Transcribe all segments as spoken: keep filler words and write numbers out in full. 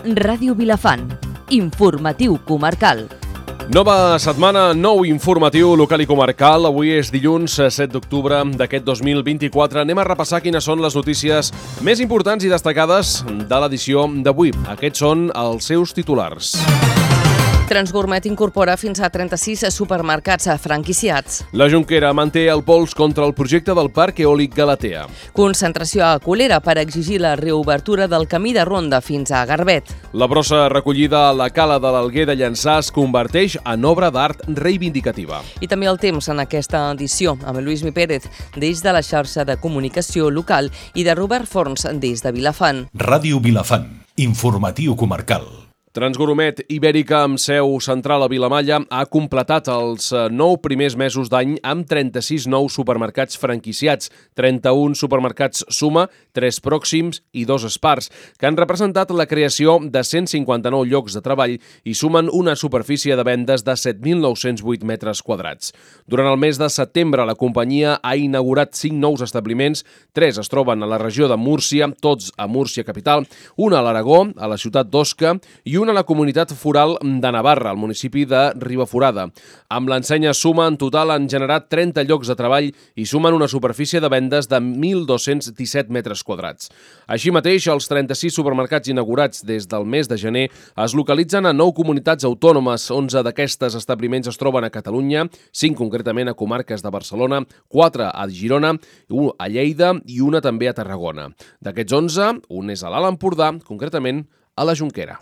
Ràdio Vilafant. Informatiu comarcal. Nova setmana, nou informatiu local i comarcal. Avui és dilluns set d'octubre d'aquest dos mil vint-i-quatre. Anem a repassar quines són les notícies més importants i destacades de l'edició d'avui. Aquests són els seus titulars. Transgourmet incorpora fins a trenta-sis supermercats franquiciats. La Jonquera manté el pols contra el projecte del Parc Eòlic Galatea. Concentració a Colera per exigir la reobertura del camí de ronda fins a Garbet. La brossa recollida a la cala de l'Alguer de Llançà es converteix en obra d'art reivindicativa. I també el temps en aquesta edició, amb Lluís Mi Pérez, des de la xarxa de comunicació local, i de Robert Forns, des de Vilafant. Ràdio Vilafant. Informatiu comarcal. Transgourmet Ibèrica, amb seu central a Vilamalla, ha completat els nou primers mesos d'any amb trenta-sis nous supermercats franquiciats, trenta-un supermercats Suma, tres pròxims i dos Spars, que han representat la creació de cent cinquanta-nou llocs de treball i sumen una superfície de vendes de set mil nou-cents vuit metres quadrats. Durant el mes de setembre, la companyia ha inaugurat cinc nous establiments, tres es troben a la regió de Múrcia, tots a Múrcia capital, una a l'Aragó, a la ciutat d'Osca, i una a la comunitat foral de Navarra, al municipi de Ribaforada. Amb l'ensenya Suma, en total han generat trenta llocs de treball i sumen una superfície de vendes de mil dos-cents disset metres quadrats. Així mateix, els trenta-sis supermercats inaugurats des del mes de gener es localitzen a nou comunitats autònomes. onze d'aquestes establiments es troben a Catalunya, cinc concretament a comarques de Barcelona, quatre a Girona, un a Lleida i una també a Tarragona. D'aquests onze, un és a l'Alt Empordà, concretament a la Jonquera.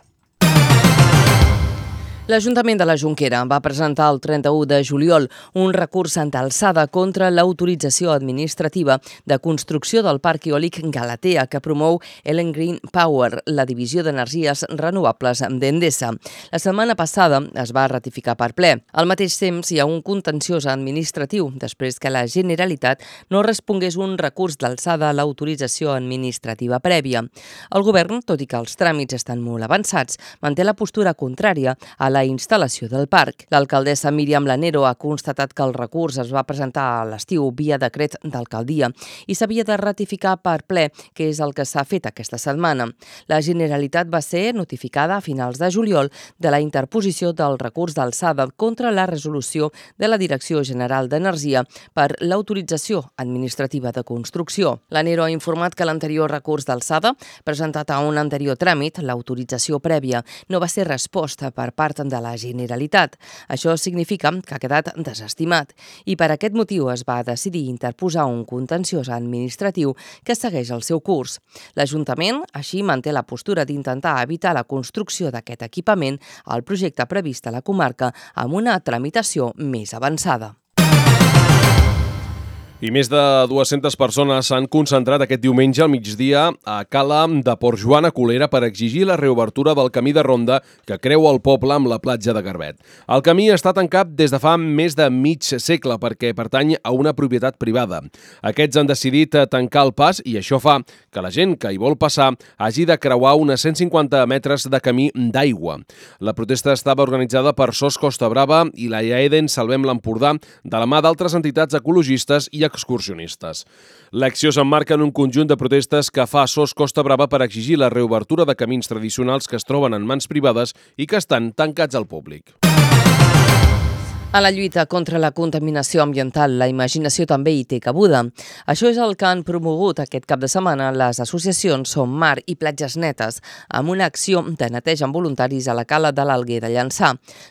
L'Ajuntament de la Jonquera va presentar el trenta-u de juliol un recurs d'alçada contra l'autorització administrativa de construcció del Parc Eòlic Galatea que promou Elen Green Power, la divisió d'energies renovables d'Endesa. La setmana passada es va ratificar per ple. Al mateix temps, hi ha un contenciós administratiu després que la Generalitat no respongués un recurs d'alçada a l'autorització administrativa prèvia. El govern, tot i que els tràmits estan molt avançats, manté la postura contrària a la instal·lació del parc. L'alcaldessa Míriam Lanero ha constatat que el recurs es va presentar a l'estiu via decret d'alcaldia i s'havia de ratificar per ple, que és el que s'ha fet aquesta setmana. La Generalitat va ser notificada a finals de juliol de la interposició del recurs d'alçada contra la resolució de la Direcció General d'Energia per l'autorització administrativa de construcció. Lanero ha informat que l'anterior recurs d'alçada, presentat a un anterior tràmit, l'autorització prèvia, no va ser resposta per part de la Generalitat. Això significa que ha quedat desestimat i per aquest motiu es va decidir interposar un contenciós administratiu que segueix el seu curs. L'Ajuntament, així, manté la postura d'intentar evitar la construcció d'aquest equipament al projecte previst a la comarca amb una tramitació més avançada. I més de dues-centes persones s'han concentrat aquest diumenge al migdia a Cala de Port Joan a Colera per exigir la reobertura del camí de ronda que creua el poble amb la platja de Garbet. El camí està tancat des de fa més de mig segle perquè pertany a una propietat privada. Aquests han decidit tancar el pas i això fa que la gent que hi vol passar hagi de creuar unes cent cinquanta metres de camí d'aigua. La protesta estava organitzada per S O S Costa Brava i la Iaeden Salvem l'Empordà de la mà d'altres entitats ecologistes i excursionistes. L'acció s'emmarca en un conjunt de protestes que fa S O S Costa Brava per exigir la reobertura de camins tradicionals que es troben en mans privades i que estan tancats al públic. A la lluita contra la contaminació ambiental, la imaginació també hi té cabuda. Això és el que han promogut aquest cap de setmana les associacions Som Mar i Platges Netes, amb una acció de neteja amb voluntaris a la cala de l'Alguer de Llançà.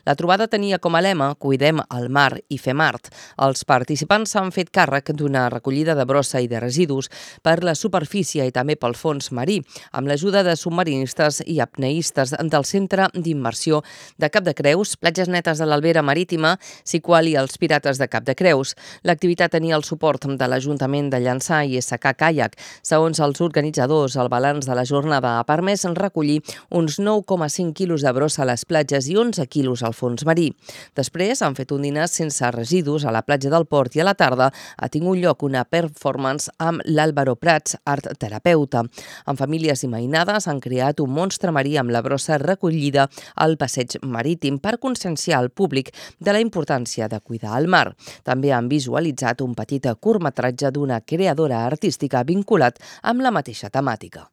La trobada tenia com a lema Cuidem el mar i fem art. Els participants s'han fet càrrec d'una recollida de brossa i de residus per la superfície i també pel fons marí, amb l'ajuda de submarinistes i apneistes del Centre d'Immersió de Cap de Creus, Platges Netes de l'Albera Marítima, Siqual i els Pirates de Cap de Creus. L'activitat tenia el suport de l'Ajuntament de Llançà i S K Kayak. Segons els organitzadors, el balanç de la jornada ha permès recollir uns nou coma cinc quilos de brossa a les platges i onze quilos al fons marí. Després han fet un dinar sense residus a la platja del Port i a la tarda ha tingut lloc una performance amb l'Àlvaro Prats, art terapeuta. Amb famílies i mainades han creat un monstre marí amb la brossa recollida al passeig marítim per conscienciar al públic de la importància importància de cuidar el mar. També han visualitzat un petit curtmetratge d'una creadora artística vinculat amb la mateixa temàtica.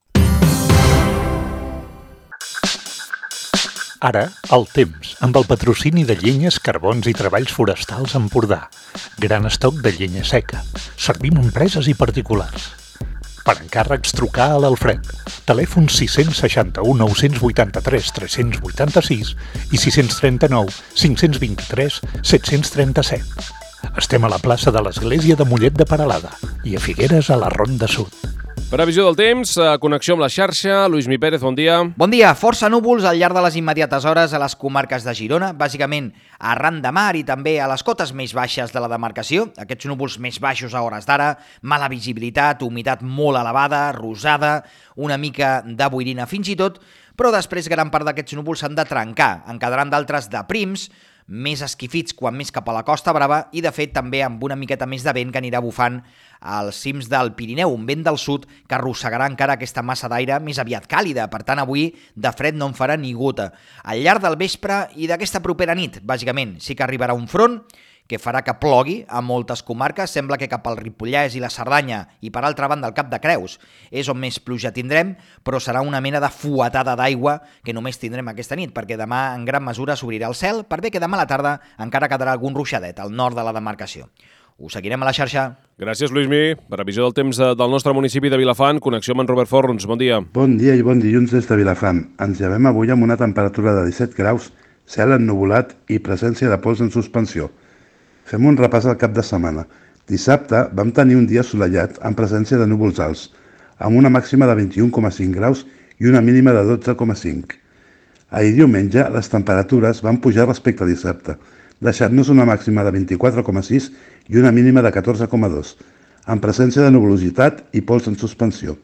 Ara, el temps, amb el patrocini de llenyes, carbons i treballs forestals Empordà. Gran estoc de llenya seca. Servim empreses i particulars. Per encàrrecs, trucar a l'Alfred. Telèfon sis sis u, nou vuit tres, tres vuit sis i sis tres nou, cinc dos tres, set tres set. Estem a la plaça de l'Església de Mollet de Peralada i a Figueres a la Ronda Sud. Previsió del temps, connexió amb la xarxa. Lluís Mi Pérez, bon dia. Bon dia. Força núvols al llarg de les immediates hores a les comarques de Girona, bàsicament arran de mar i també a les cotes més baixes de la demarcació. Aquests núvols més baixos a hores d'ara, mala visibilitat, humitat molt elevada, rosada, una mica de boirina fins i tot, però després gran part d'aquests núvols s'han de trencar. En quedaran d'altres de prims, més esquifits quan més cap a la Costa Brava i, de fet, també amb una miqueta més de vent que anirà bufant als cims del Pirineu, un vent del sud que arrossegarà encara aquesta massa d'aire més aviat càlida. Per tant, avui de fred no en farà ni gota. Al llarg del vespre i d'aquesta propera nit, bàsicament, sí que arribarà un front que farà que plogui a moltes comarques. Sembla que cap al Ripollès i la Cerdanya i, per altra banda, el Cap de Creus és on més pluja tindrem, però serà una mena de fuetada d'aigua que només tindrem aquesta nit, perquè demà en gran mesura s'obrirà el cel, per bé que demà a la tarda encara quedarà algun ruixadet al nord de la demarcació. Us seguirem a la xarxa. Gràcies, Lluís Mi. Previsió del temps del nostre municipi de Vilafant. Connexió amb en Robert Forns. Bon dia. Bon dia i bon dilluns des de Vilafant. Ens llevem avui amb una temperatura de disset graus, cel ennuvolat i presència de pols en suspensió. Fem un repàs al cap de setmana. Dissabte vam tenir un dia assolellat amb presència de núvols alts, amb una màxima de vint-i-un coma cinc graus i una mínima de dotze coma cinc. Ahir diumenge les temperatures van pujar respecte a dissabte, deixant-nos una màxima de vint-i-quatre coma sis i una mínima de catorze coma dos, amb presència de nuvolositat i pols en suspensió.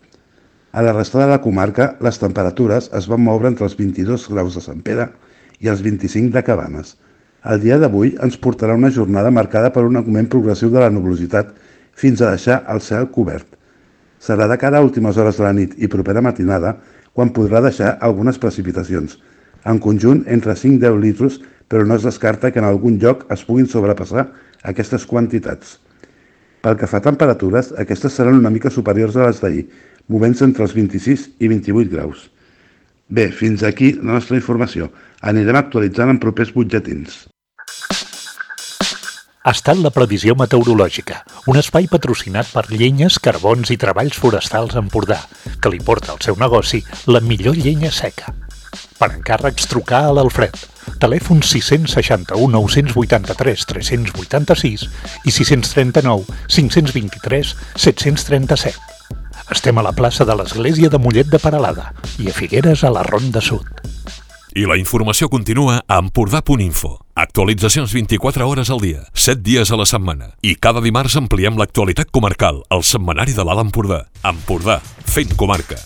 A la resta de la comarca, les temperatures es van moure entre els vint-i-dos graus de Sant Pere i els vint-i-cinc de Cabanes. El dia d'avui ens portarà una jornada marcada per un augment progressiu de la nuvolositat fins a deixar el cel cobert. Serà de cara a últimes hores de la nit i propera matinada quan podrà deixar algunes precipitacions, en conjunt entre cinc a deu litres, però no es descarta que en algun lloc es puguin sobrepassar aquestes quantitats. Pel que fa a temperatures, aquestes seran una mica superiors a les d'ahir, movent-se entre els vint-i-sis i vint-i-vuit graus. Bé, fins aquí la nostra informació. Anirem actualitzant en propers butlletins. Ha estat la previsió meteorològica, un espai patrocinat per Llenyes, Carbons i Treballs Forestals Empordà, que li porta al seu negoci la millor llenya seca. Per encàrrecs, trucar a l'Alfred. Telèfon sis sis u, nou vuit tres, tres vuit sis i sis tres nou, cinc dos tres, set tres set. Estem a la plaça de l'Església de Mollet de Peralada i a Figueres a la Ronda Sud. I la informació continua a empordà punt info. Actualitzacions vint-i-quatre hores al dia, set dies a la setmana. I cada dimarts ampliem l'actualitat comarcal, al setmanari de l'Alt Empordà. Empordà, fent comarca.